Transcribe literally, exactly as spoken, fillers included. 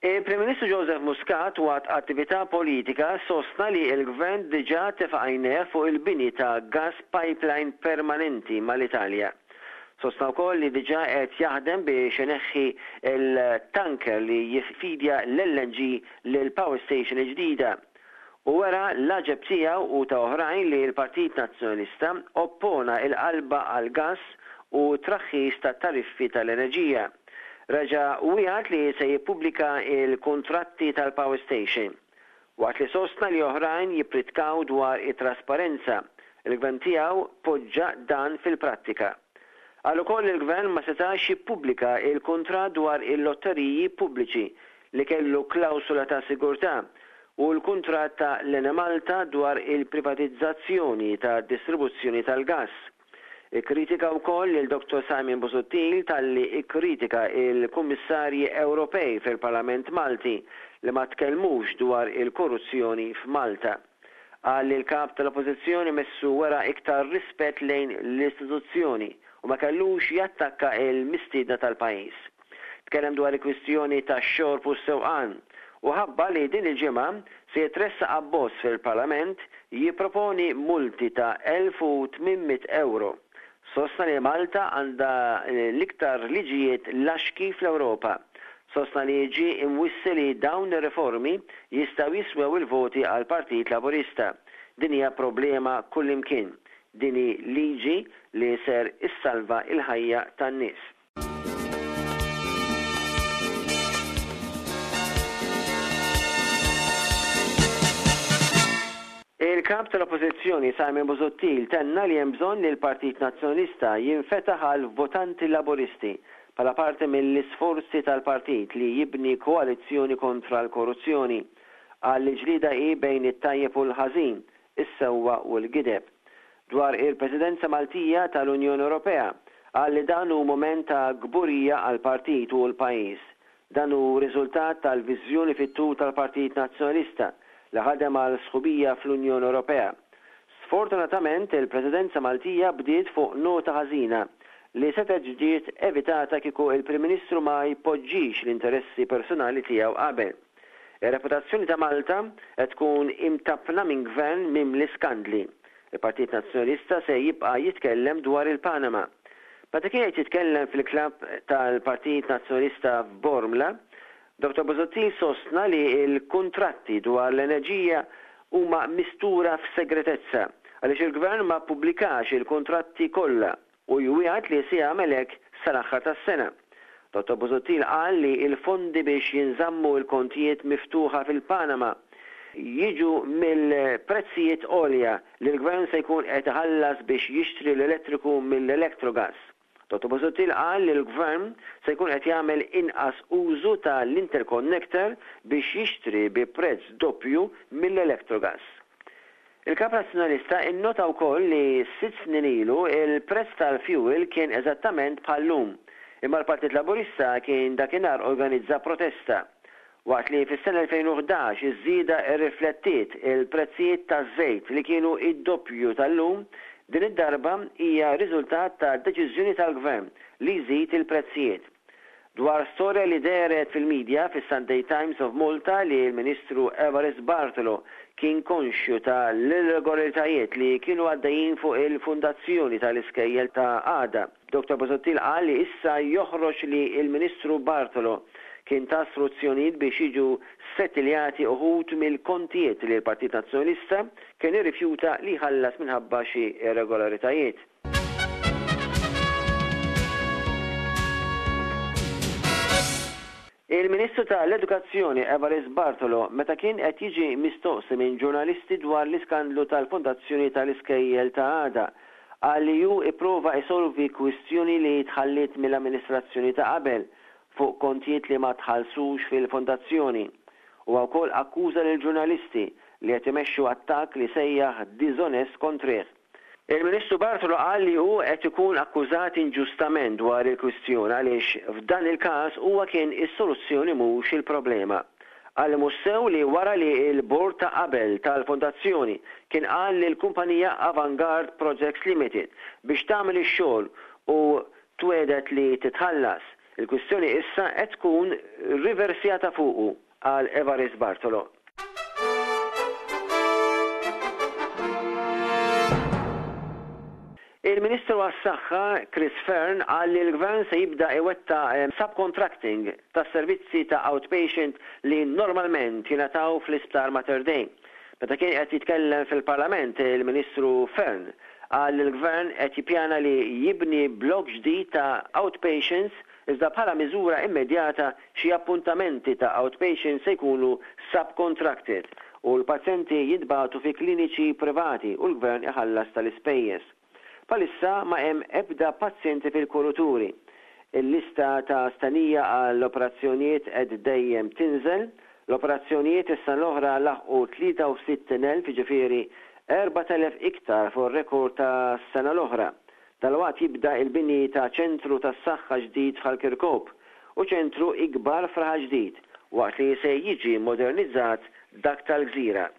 Il-Prim Ministru Joseph Muscat waqt attività politika sostna li l-Gvern diġà tefa' għajnejh fuq il-bini ta' gas pipeline permanenti mal-Italja. Sostna wkoll li diġà qed jaħdem biex ineħħi l-tanker li jiffidja l-L N G lil power station ġdida. U wera l-għaġeb tiegħu u ta' oħrajn li l-Partit Nazzjonalista oppona il-qalba għal gas u traħħis ta' tariffi tal-enerġija. Reġa' wiegħed li se jippubblika il-kontratti tal-power station. Waqt li sostna li oħrajn jippritkaw dwar it-trasparenza, il-gvern tiegħu poġġa dan fil-prattika. Qal ukoll il-gvern ma setax jippubblika il-kuntratt dwar il-lotteriji pubbliċi li kellu klawsula ta' sigurtà u l-kuntratt ta' l-Enemalta dwar il-privatizzazzjoni ta' distribuzzjoni tal-gas. Ikkritika wkoll lil Doktor Simon Busuttil talli ikkritika il-Kummissarji Ewropej fil-Parlament Malti li ma tkellmux dwar il-korruzzjoni f'Malta. Qal li l-kap tal-Oppożizzjoni messu wera iktar rispett lejn l-istituzzjoni u ma kellux jattakka il-mistiedna tal-pajjiż. Tkellem dwar il-kwistjoni tax-xorb u s-sewqan u ħabbar li din il-ġimgħa se jitressaq abbozz fil-Parlament jipproponi multi ta' elf u tmien mitt euro. Sostna li Malta għandha l-iktar liġijiet laxki fl-Ewropa. Sostna li ġi imwissi li dawn ir-riformi jistgħu jiswew il-voti għal Partit Laburista. Din hija problema kullimkien. Din hi liġi li ser issalva il-ħajja tan-nies. Il-kap tal-Oppożizzjoni Simon Busuttil tenna li hemm bżonn li l-Partit Nazzjonalista jinfetaħ għal votanti Laburisti bħala parti mill-isforzi tal-partit li jibni koalizzjoni kontra l-korruzzjoni. Qal li l-ġlieda hi bejn it-tajjeb u l-ħażin, is-sewwa u l-gideb. Dwar il-Presidenza Maltija tal-Unjoni Ewropea, qal li dan hu moment ta' kburija għal partit u l-pajjiż. Dan hu riżultat tal-viżjoni fit-tul tal-Partit Nazzjonalista li ħadem għal sħubija fl-Unjoni Ewropea. Sfortunatament, il-Presidenza Maltija bdiet fuq nota ħażina li setgħet ġiet evitata kieku il-Prim Ministru ma jpoġġix l-interessi personali tiegħu qabel. Ir-reputazzjoni ta' Malta qed tkun imtappna minn gvern mimli skandli. Il-Partit Nazzjonalista se jibqa' jitkellem dwar il-Panama. Meta kien qed jitkellem fil-klabb tal-Partit Nazzjonalista f'Bormla, Doktor Busuttil sostna li l-kuntratti dwar l-enerġija huma mistura f'segretezza għaliex il-gvern ma ppubblikax il-kontratti kollha u jwiegħed li se jagħmel hekk sal-aħħar tas-sena. Doktor Busuttil qal li l-fondi biex jinżammu l-kontijiet miftuħa fil-Panama jiġu mill-prezzijiet għolja li l-gvern se jkun qed iħallas biex jixtri l-elettriku mill-Electrogas. Doktor Busuttil qal li l-gvern se jkun qed jagħmel inqas użu tal-interconnector biex jixtri bi prezz doppju mill-Electrogas. Il-Kap Nazzjonalista innota wkoll li sitt snin ilu il-prezz tal-fuel kien eżattament bħal-lum, imma l-Partit Laburista kien dakinhar organizza protesta. Waqt li fis-sena elfejn u ħdax iż-żieda rriflettiet il-prezzijiet taż-żejt li kienu id-doppju tal-lum, din id-darba hija riżultat ta' deċiżjoni tal-gvern li jżid il-prezzijiet. Dwar storja li dehret fil-medja fis-Sunday Times of Malta li l-Ministru Evarist Bartolo kien konxju ta' l-irregolaritajiet li kienu għaddejjin fuq il-fundazzjoni tal-iskejjel ta' għada, Doktor Busuttil qal li issa joħroġ li il-Ministru Bartolo kien ta istruzzjonijiet biex jiġu settiljati uħud mill-kontijiet li l-Partit Nazzjonalista kien irrifjuta li jħallas minħabba xi irregolaritajiet. Il-Ministru tal-Edukazzjoni Evarist Bartolo, meta kien qed jiġi mistoqsi minn ġurnalisti dwar l-iskandlu tal-Fondazzjoni tal-Iskejjel ta' Għada, qal li hu ipprova isolvi kwistjoni li tħallit mill-amministrazzjoni ta' qabel fuq kontijiet li ma tħallsux fil-fondazzjoni. U wkoll akkuża lil ġurnalisti li qed imexxu attakk li sejjaħ diżonest kontrih. Il-Ministru Bartolo qal li hu qed ikun akkużat inġustament dwar il-kwistjoni għaliex f'dan il-każ huwa kien is-soluzzjoni, mhux il-problema. Qal li mhux sew li wara li l-bord ta' qabel tal-fondazzjoni kien qal lill-kumpanija Avangard Projects Limited biex tagħmel ix-xogħol u twiegħdet li titħallas, il-kwistjoni issa qed tkun riversjata fuqu, qal Evarist Bartolo. Il-Ministru għas-Saħħa Chris Fearne qal li l-Gvern se jibda iwettaq subcontracting tas-servizzi ta' outpatient li normalment jingħataw fl-Isptar Mater Dei. Meta kien qed jitkellem fil-Parlament, il-Ministru Fearne qal li l-Gvern qed jippjana li jibni blokk ġdid ta' outpatients iżda bħala miżura immedjata xi appuntamenti ta' outpatients se jkunu subcontracted u l-pazjenti jintbagħtu fi kliniċi privati u l-Gvern iħallas tal-ispejjeż. Bħalissa ma hemm ebda pazjenti fil-kuruturi. Il-lista ta' stennija għall-operazzjonijiet qed dejjem tinżel. L-operazzjonijiet is-sena l-oħra laħqu tlieta u sittin elf, jiġifieri erbat elef iktar fuq ir-rekord tas-sena l-oħra. Dalwaqt jibda l-bini ta' ċentru tas-saħħa ġdid f'Ħal Kirkop u ċentru ikbar f'Raħal Ġdid, waqt li se jiġi modernizzat dak tal-Gżira.